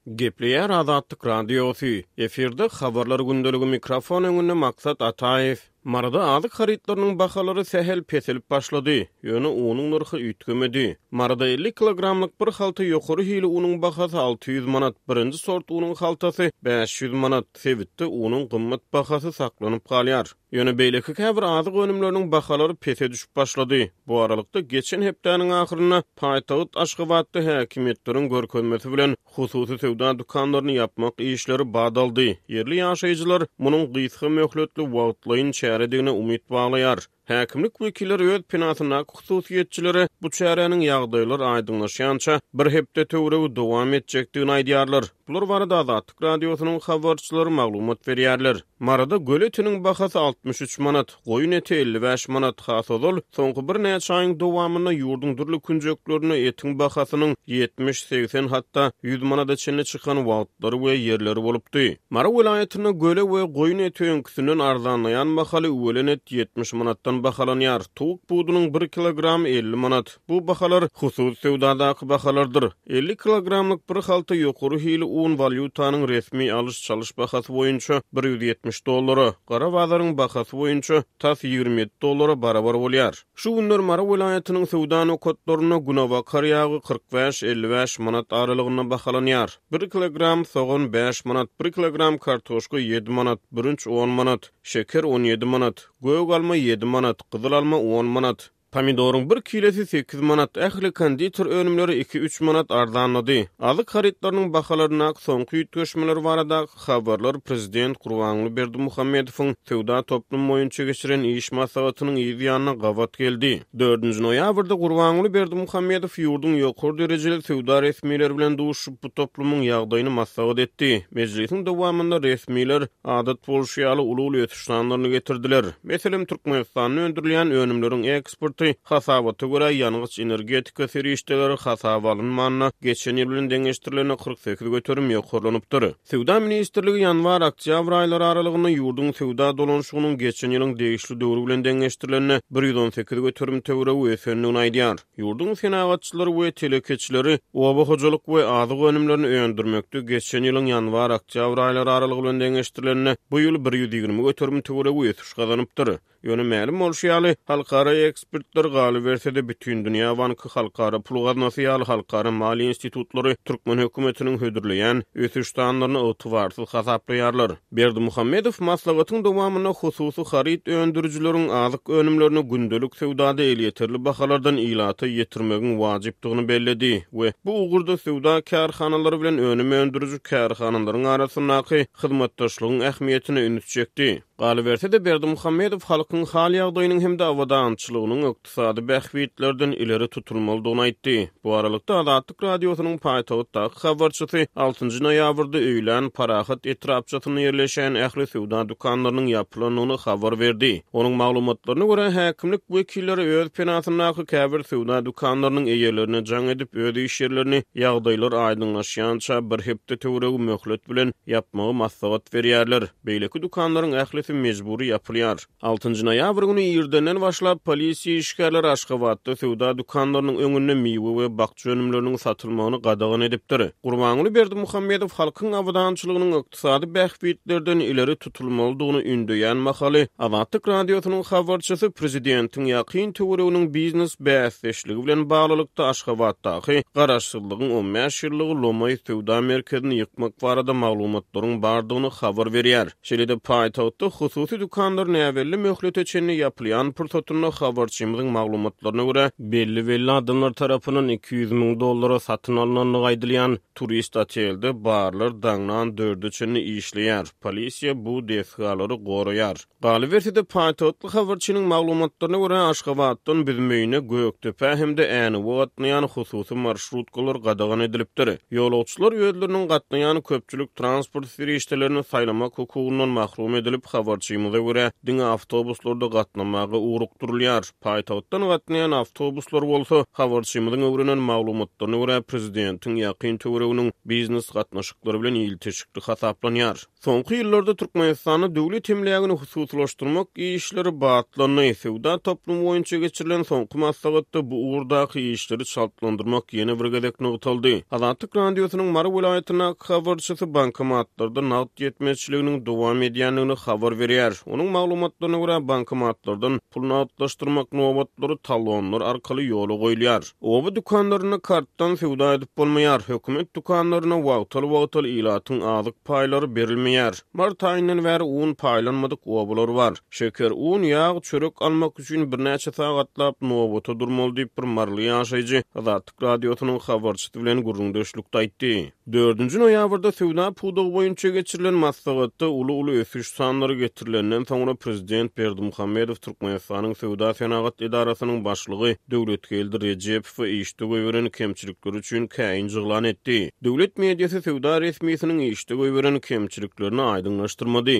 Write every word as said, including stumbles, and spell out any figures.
Gepleýär Azatlyk Radiosy. Efirde habarlar gündeligi mikrofon öňünde Maksat Ataýew. Maryda azyk harytlarynyň bahalary sähel peselip başlady, ýöne unuň nyrhy üýtgemedi. Maryda elli kilogramlyk bir halta ýokary hili unuň bahasy alty ýüz manat, birinji sort unuň haltasy bäş ýüz manat. Sebitde unuň gymmat bahasy saklanyp galýar. Ýöne beýleki käbir azyk önümleriniň bahalary pese düşüp başlady. Bu aralykda geçen hepdäniň ahyrynda paýtagt Aşgabatda häkimiýetleriň görkezmesi bilen hususy söwda dükanlaryny ýapmak işleri bat aldy. Ýerli ýaşaýjylar munuň gysga möhletli wagtlaýyn çäredigine umyt baglaýar. Häkimlik wekilleri öz penasyndaky hususyýetçilere bu çäräniň ýagdaýlar aýdyňlaşýança bir hepde töweregi dowam etjekdigini aýdýarlar. Bular barada Azatlyk Radiosynyň habarçylary maglumat berýärler. Maryda göl etiniň bahasy altmyş üç manat, goýun eti elli bäş manat, has ozal soňky birnäçe aýyň dowamynda ýurduň dürli künjeklerinde etiň bahasynyň ýetmiş, segsen, hatda ýüz manada çenli çykan wagtlary we ýerleri bolupdy. Mary welaýatynda göle we goýun eti öňküsinden arzanlaýan mahaly üwelen et ýetmiş manatdan bahalanýar. Towuk budunyň bir kilogram elli manat. Bu bahalar hususy söwdadaky bahalardyr. Elli kilogramlyk bir halta ýokary hili un walýutanyň resmi alyş-çalyş bahasy boýunça bir ýüz ýetmiş dollara, gara bazaryň bahasy boýunça tas ýigrimi ýedi dollara barabar bolýar. Şu günler Mary welaýatynyň söwda nokatlarynda günebakar ýagy kyrk bäş elli bäş manat aralygynda bahalanýar. Bir kilogram sogan bäş manat, bir kilogram kartoşka ýedi manat, bürünç on manat, şeker on ýedi manat, gök alma ýedi manat, gyzyl alma on manat. Pomidoryň bir kilesi sekiz manat, ähli konditer önümleri iki üç manat arzanlady. Azyk harytlarynyň bahalaryndaky soňky üýtgeşmeler baradaky habarlar Prezident Gurbanguly Berdimuhamedowyň söwda toplumy boýunça geçiren iş maslahatynyň yz ýanyna gabat geldi. Dördünji noýabrda Gurbanguly Berdimuhamedow ýurduň ýokary derejeli söwda resmileri bilen duşup, bu toplumyň ýagdaýyny maslahat etdi. Mejlisiň dowamynda resmiler adat bolşy ýaly uly-uly ösüş sanlaryny getirdiler. Meselem, Türkmenistanda öndürilýän önümleriň eksporty hasabata görä ýangyç energetika serişdeleri hasaba alynmanda geçen ýyl bilen deňeşdirilende kyrk sekiz göterim ýokarlanypdyr. Söwda ministrligi ýanwar-oktýabr aýlary aralygynda ýurduň söwda dolanşygynyň geçen ýylyň degişli döwri bilen deňeşdirilende bir ýüz on sekiz göterim töweregi ösendigini aýdýar. Ýurduň senagatçylary we telekeçileri oba hojalyk we azyk önümlerini öndürmekde geçen ýylyň ýanwar-oktýabr aýlary aralygy bilen deňeşdirilende bu ýyl bir ýüz ýigrimi göterim töweregi ösüş gazanypdyr. Ýöne mälim bolşy ýaly, halkara ekspertler galyberse-de Bütindünýä Banky, Halkara Pul Gaznasy ýaly halkara maliýe institutlary türkmen hökümetiniň hödürleýän ösüş sanlaryny ygtybarsyz hasaplaýarlar. Berdimuhamedow maslahatyň dowamynda hususy haryt öndürijileriň azyk önümlerini gündelik söwdada elýeterli bahalardan ilata ýetirmegiň wajypdygyny belledi we bu ugurda söwda kärhanalary bilen önüm öndüriji kärhanalaryň arasyndaky hyzmatdaşlygyň ähmiýetine üns çekdi. Galyberse-de Berdimuhamedow halkyň hal ýagdaýynyň hem-de abadançylygynyň ykdysady bähbitlerden ileri tutulmalydygyny aýtdy. Bu aralykda Azatlyk Radiosynyň paýtagtdaky habarçysy altynjy noýabrda öýlän Parahat etrapçasynda ýerleşen ähli söwda dükanlarynyň ýapylandygyny habar berdi. Onuň maglumatlaryna görä, häkimlik wekilleri öz penasyndaky käbir söwda dükanlarynyň eýelerine jaň edip, öz iş ýerlerini ýagdaýlar aýdyňlaşýança bir hepde töweregi möhlet bilen ýapmagy maslahat berýärler. Beýleki dükanlaryň ählisi mejbury ýapylýar. Altynjy noýabr güni irdenden başlap polisiýa işgärleri Aşgabatda söwda dükanlarynyň öňünde miwe we bakja önümleriniň satylmagyny gadagan edipdir. Gurbanguly Berdimuhamedow halkyň abadançylygynyň ykdysady bähbitlerden ileri tutulmalydygyny ündeýän mahaly Azatlyk Radiosynyň habarçysy prezidentiň ýakyn töwereginiň biznes bäsdeşligi bilen baglylykda Aşgabatdaky Garaşsyzlygyň on bäş ýyllygy Lomaý söwda merkezini ýykmak barada maglumatlaryň bardygyny habar berýär. Şeýle-de paýtagtda hususy dükanlar näbelli möhlete çenli ýapylýan pursatynda habarçymyzyň maglumatlaryna görä belli-belli adamlar tarapyndan iki ýüz müň dollara satyn alynandygy aýdylýan turist otelde barlar daňdan dörde çenli işleýär. Polisiýa bu desgalary goraýar. Galyberse-de paýtagtly habarçynyň maglumatlaryna görä Aşgabatdan Büzmeýine, Gökdepä hem-de Änewe gatnaýan hususy marşrutkalar gadagan edilipdir. Ýolagçylar özleriniň gatnaýan köpçülik transport serişdelerini saýlamak hukugyndan mahrum edilip, habarçymyza görä, diňe awtobuslarda gatnamaga ugrukdyrylýar. Paýtagtdan gatnaýan awtobuslar bolsa, habarçymyzyň öwrenen maglumatlaryna görä, prezidentiň ýakyn töwereginiň biznes gatnaşyklary bilen ilteşikli hasaplanýar. Soňky ýyllarda Türkmenistanda döwlet emlägini hususylaşdyrmak işleri batlandy. Söwda toplumy boýunça geçirilen soňky maslahatda bu ugurdaky işleri çaltlandyrmak ýene bir gezek nygtaldy. Azatlyk Radiosynyň Mary welaýatyndaky habarçysy bankomatlarda nagt ýetmezçiliginiň dowam edýändigini habar berýär. Onuň maglumatlaryna görä, bankomatlardan pul nagtlaşdyrmak nobatlary talonlar arkaly ýola goýulýar. Oba dükanlarynda kartdan söwda edip bolmaýar. Hökümet dükanlaryna wagtal-wagtal ilatyň azyk paýlary berilmeýär. Mart aýyndan bäri un paýlanmadyk obalar bar. Şeker, un, ýag, çörek almak üçin birnäçe sagatlap nobata durmaly diýip bir maryly ýaşaýjy Azatlyk Radiosynyň habarçysy bilen gürrüňdeşlikde aýtdy. Dördünji noýabrda söwda pudagy boýunça geçirilen maslahatda uly-uly ösüş sanlary getirilenden soňra prezident Berdimuhamedow Türkmenistanyň Söwda senagat edarasynyň başlygy Döwletgeldi Rejepowy işde goýberen kemçilikleri üçin käýinç yglan etdi. Döwlet mediasy söwda resmisiniň işde goýberen kemçiliklerini aýdyňlaşdyrmady.